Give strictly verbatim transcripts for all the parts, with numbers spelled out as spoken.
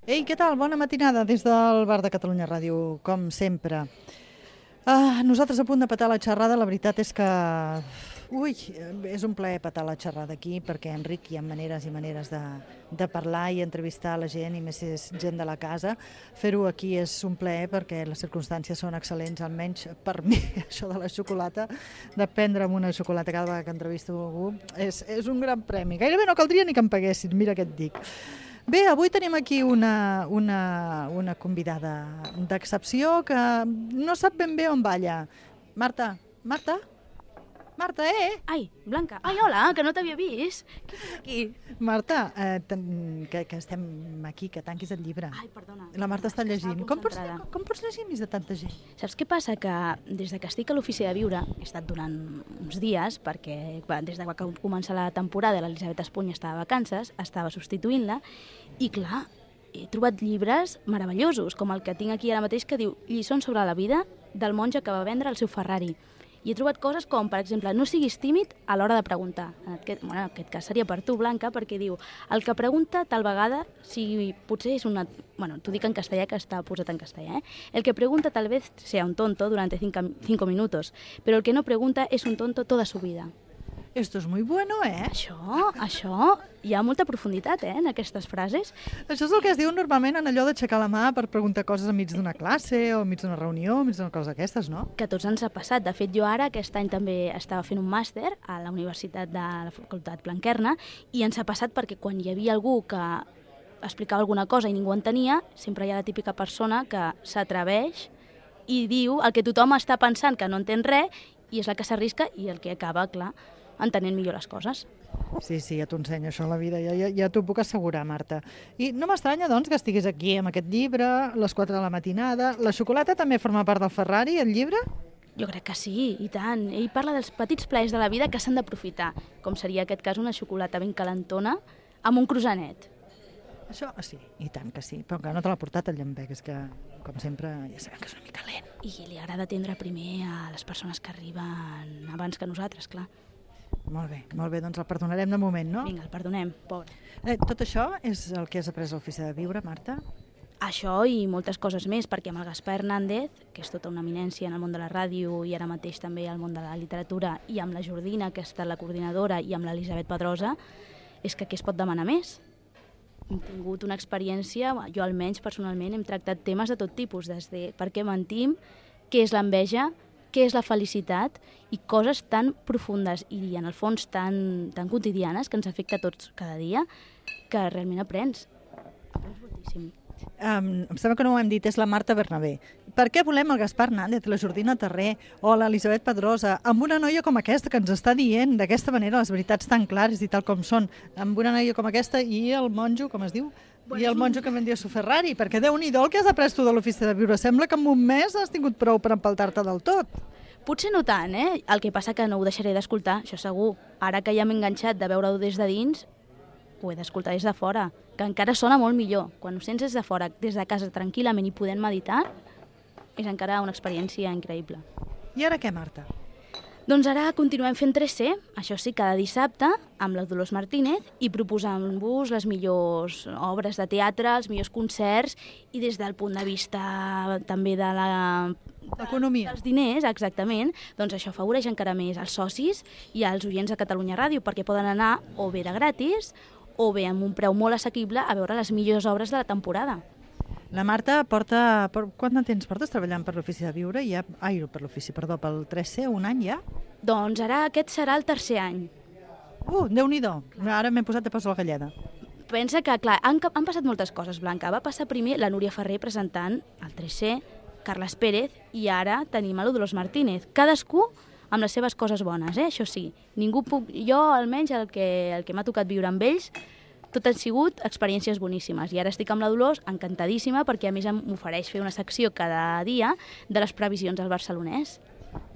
Ei, què tal? Bona matinada des del Bar de Catalunya Ràdio, com sempre. Ah, nosaltres a punt de petar la xerrada, la veritat és que... Ui, és un plaer petar la xerrada aquí, perquè, Enric, hi ha maneres i maneres de, de parlar i entrevistar la gent, i més si és gent de la casa. Fer-ho aquí és un plaer perquè les circumstàncies són excel·lents, almenys per mi, això de la xocolata, de prendre'm una xocolata cada vegada que entrevisto algú, és, és un gran premi. Gairebé no caldria ni que em paguessin, mira què et dic. Bé, avui tenim aquí una, una, una convidada d'excepció que no sap ben bé on balla. Marta, Marta? Marta, eh? Ai, Blanca. Ai, hola, que no t'havia vist. Què fas aquí? Marta, eh, ten, que, que estem aquí, que tanquis el llibre. Ai, perdona. La Marta està llegint. Com pots, concentrada. com, com pots llegir enmig de tanta gent? Saps què passa? Que des de que estic a l'ofici de viure, he estat durant uns dies, perquè va, des de que va començar la temporada l'Elisabet Espuny estava de vacances, estava substituint-la, i clar, he trobat llibres meravellosos, com el que tinc aquí ara mateix, que diu Lliçons sobre la vida del monge que va vendre el seu Ferrari. I he trobat coses com, per exemple, no siguis tímid a l'hora de preguntar. En aquest, bueno, en aquest cas seria per tu, Blanca, perquè diu el que pregunta tal vegada, si potser és una... Bueno, t'ho dic en castellà, que està posat en castellà, ¿eh? El que pregunta tal vez sea un tonto durante cinco, cinco minutos, pero el que no pregunta es un tonto toda su vida. Esto es muy bueno, eh? Això, això, hi ha molta profunditat, eh, en aquestes frases. Això és el que es diu normalment en allò d'aixecar la mà per preguntar coses enmig d'una classe o enmig d'una reunió, enmig d'una cosa d'aquestes, no? Que a tots ens ha passat. De fet, jo ara aquest any també estava fent un màster a la Universitat de la Facultat Blanquerna i ens ha passat perquè quan hi havia algú que explicava alguna cosa i ningú entenia, sempre hi ha la típica persona que s'atreveix i diu el que tothom està pensant que no entén res i és la que s'arrisca i el que acaba, clar, entenent millor les coses. Sí, sí, ja t'ho ensenyo això a la vida, ja, ja, ja t'ho puc assegurar, Marta. I no m'estranya, doncs, que estiguis aquí amb aquest llibre, a les quatre de la matinada. La xocolata també forma part del Ferrari, el llibre? Jo crec que sí, i tant. Ell parla dels petits plaers de la vida que s'han d'aprofitar, com seria aquest cas una xocolata ben calentona amb un croissanet. Això sí, i tant que sí, però que no te l'ha portat el llampec, és que, com sempre, ja sabem que és una mica lent. I li agrada atendre primer a les persones que arriben abans que nosaltres, clar. Molt bé, molt bé, doncs el perdonarem de moment, no? Vinga, el perdonem, pobre. Eh, tot això és el que has après a l'ofici de viure, Marta? Això i moltes coses més, perquè amb el Gaspar Hernández, que és tota una eminència en el món de la ràdio i ara mateix també al món de la literatura, i amb la Jordina, que ha estat la coordinadora, i amb l'Elisabet Pedrosa, és que què es pot demanar més? Hem tingut una experiència, jo almenys personalment hem tractat temes de tot tipus, des de per què mentim, què és l'enveja, què és la felicitat i coses tan profundes i en el fons tan, tan quotidianes que ens afecta a tots cada dia que realment aprens. Aprens moltíssim. Um, em sembla que no ho hem dit, és la Marta Bernabé. Per què volem el Gaspar Hernández, la Jordina Terré o l'Elisabet Pedrosa amb una noia com aquesta que ens està dient d'aquesta manera les veritats tan clares i tal com són, amb una noia com aquesta i el monjo, com es diu? I el monjo que vendia su Ferrari, perquè Déu-n'hi-do el que has après tu de l'ofici de viure. Sembla que en un mes has tingut prou per empaltar-te del tot. Potser no tant, eh? El que passa que no ho deixaré d'escoltar, això segur. Ara que ja m'he enganxat de veure-ho des de dins, ho he d'escoltar des de fora, que encara sona molt millor. Quan ho sents des de fora, des de casa, tranquil·lament i podent meditar, és encara una experiència increïble. I ara què, Marta? Doncs ara continuem fent tres C, això sí, cada dissabte, amb la Dolors Martínez i proposant-vos les millors obres de teatre, els millors concerts i des del punt de vista també de la... L'economia. Dels diners, exactament, doncs això afavoreix encara més als socis i als oients de Catalunya Ràdio perquè poden anar o bé de gratis o bé amb un preu molt assequible a veure les millors obres de la temporada. La Marta porta... Per, quant de temps portes treballant per l'ofici de viure? Ja, ai, per l'ofici, perdó, pel tres C, un any ja? Doncs ara aquest serà el tercer any. Uh, Déu-n'hi-do, ara m'he posat de pas a la galleda. Pensa que, clar, han, han passat moltes coses, Blanca. Va passar primer la Núria Ferrer presentant el tres C, Carles Pérez, i ara tenim a la Dolors Martínez. Cadascú amb les seves coses bones, eh? Això sí. Ningú puc... Jo, almenys, el que, el que m'ha tocat viure amb ells, tot han sigut experiències boníssimes. I ara estic amb la Dolors encantadíssima perquè a més m'ofereix fer una secció cada dia de les previsions al barcelonès.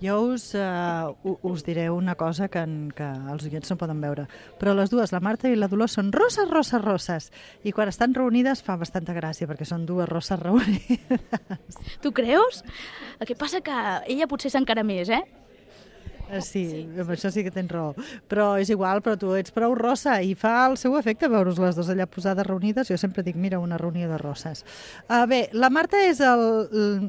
Jo us, uh, us diré una cosa que, en, que els oients no poden veure, però les dues, la Marta i la Dolors, són rosses, rosses, rosses. I quan estan reunides fa bastanta gràcia, perquè són dues rosses reunides. Tu creus? El que passa que ella potser és encara més, eh? Sí, amb això sí que tens raó. Però és igual, però tu ets prou rossa i fa el seu efecte veure-us les dues allà posades reunides. Jo sempre dic, mira, una reunió de rosses. Uh, bé, la Marta és el,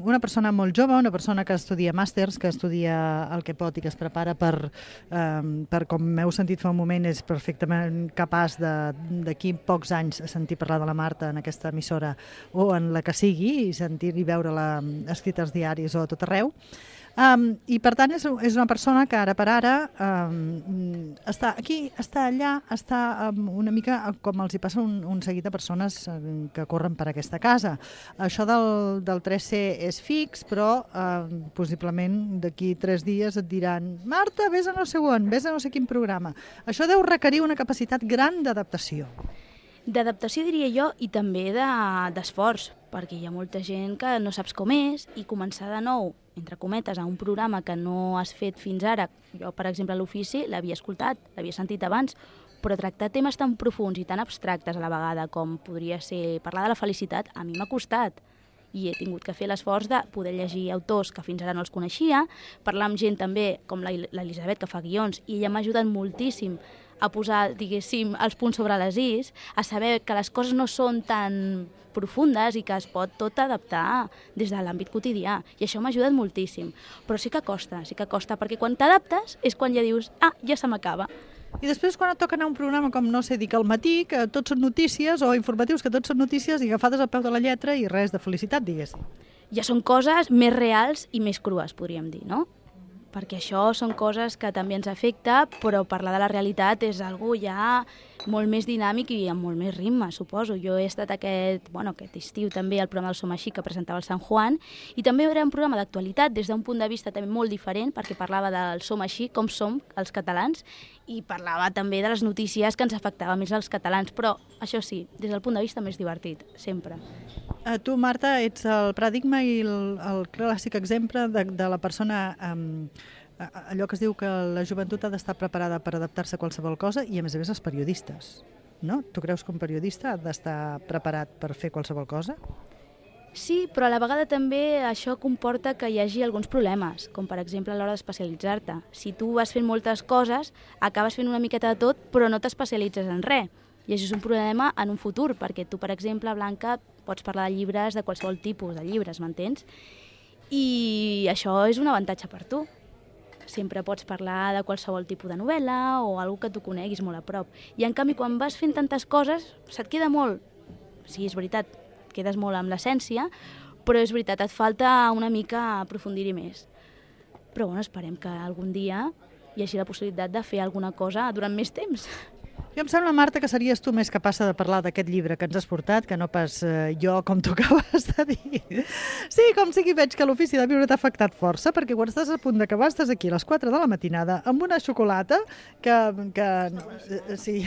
una persona molt jove, una persona que estudia màsters, que estudia el que pot i que es prepara per, um, per com m'heu sentit fa un moment, és perfectament capaç d'aquí pocs anys sentir parlar de la Marta en aquesta emissora o en la que sigui i sentir i veure-la escrita als diaris o a tot arreu. Um, I per tant és, és una persona que ara per ara um, està aquí, està allà, està um, una mica com els hi passa un, un seguit de persones um, que corren per aquesta casa. Això del, del tres C és fix, però um, possiblement d'aquí tres dies et diran Marta, vés a no sé on, vés a no sé quin programa. Això deu requerir una capacitat gran d'adaptació. D'adaptació diria jo i també d'esforç, de, perquè hi ha molta gent que no saps com és i començar de nou, entre cometes, a un programa que no has fet fins ara. Jo, per exemple, a l'ofici l'havia escoltat, l'havia sentit abans, però tractar temes tan profuns i tan abstractes a la vegada com podria ser parlar de la felicitat, a mi m'ha costat. I he tingut que fer l'esforç de poder llegir autors que fins ara no els coneixia, parlar amb gent també com l'Elisabet, que fa guions, i ella m'ha ajudat moltíssim a posar, diguéssim, els punts sobre les is, a saber que les coses no són tan profundes i que es pot tot adaptar des de l'àmbit quotidià. I això m'ha ajudat moltíssim. Però sí que costa, sí que costa, perquè quan t'adaptes és quan ja dius, ah, ja se m'acaba. I després quan et toca anar a un programa com, no sé, dic al matí, que tots són notícies, o informatius que tots són notícies i agafades al peu de la lletra i res de felicitat, diguéssim. Ja són coses més reals i més crues, podríem dir, no? Perquè això són coses que també ens afecta, però parlar de la realitat és algo ja molt més dinàmic i amb molt més ritme, suposo. Jo he estat aquest, bueno, aquest estiu també al programa del Som Així, que presentava el Sant Juan, i també era un programa d'actualitat des d'un punt de vista també molt diferent, perquè parlava del Som Així, com som els catalans, i parlava també de les notícies que ens afectaven més als catalans, però això sí, des del punt de vista més divertit, sempre. Uh, tu, Marta, ets el paradigma i el, el clàssic exemple de, de la persona, um, allò que es diu que la joventut ha d'estar preparada per adaptar-se a qualsevol cosa i, a més a més, els periodistes, no? Tu creus que un periodista ha d'estar preparat per fer qualsevol cosa? Sí, però a la vegada també això comporta que hi hagi alguns problemes, com per exemple a l'hora d'especialitzar-te. Si tu vas fent moltes coses, acabes fent una miqueta de tot, però no t'especialitzes en res. I això és un problema en un futur, perquè tu, per exemple, Blanca, pots parlar de llibres, de qualsevol tipus de llibres, m'entens? I això és un avantatge per tu. Sempre pots parlar de qualsevol tipus de novel·la o alguna que tu coneguis molt a prop. I en canvi, quan vas fent tantes coses, se't queda molt. Sí, és veritat, quedes molt amb l'essència, però és veritat, et falta una mica aprofundir-hi més. Però bueno, esperem que algun dia hi hagi la possibilitat de fer alguna cosa durant més temps. Jo em sembla, Marta, que series tu més capaç de parlar d'aquest llibre que ens has portat, que no pas eh, jo, com tu acabes de dir. Sí, com sigui, veig que l'ofici de viure t'ha afectat força, perquè quan estàs a punt d'acabar estàs aquí a les quatre de la matinada amb una xocolata que... que eh, sí.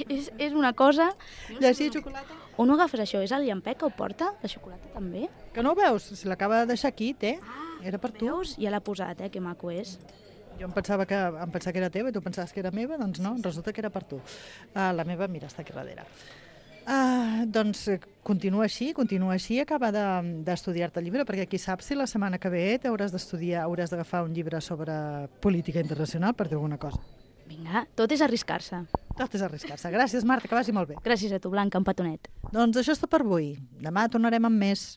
És, és una cosa... Llegir xocolata? On ho agafes, això? És el llampec que ho porta? La xocolata també? Que no ho veus? Si l'acaba de deixar aquí, té. Era per tu. Veus? Ja l'ha posat, eh? Que maco és. Jo em pensava que, em pensava que era teva i tu pensaves que era meva, doncs no, resulta que era per tu. Uh, la meva, mira, està aquí darrere. Uh, doncs continua així, continua així, acaba d'estudiar-te de, el llibre, perquè qui sap si la setmana que ve t'hauràs d'estudiar, hauràs d'agafar un llibre sobre política internacional per dir alguna cosa. Vinga, tot és arriscar-se. Tot és arriscar-se. Gràcies, Marta, que vagi molt bé. Gràcies a tu, Blanca, un petonet. Doncs això és tot per avui. Demà tornarem amb més.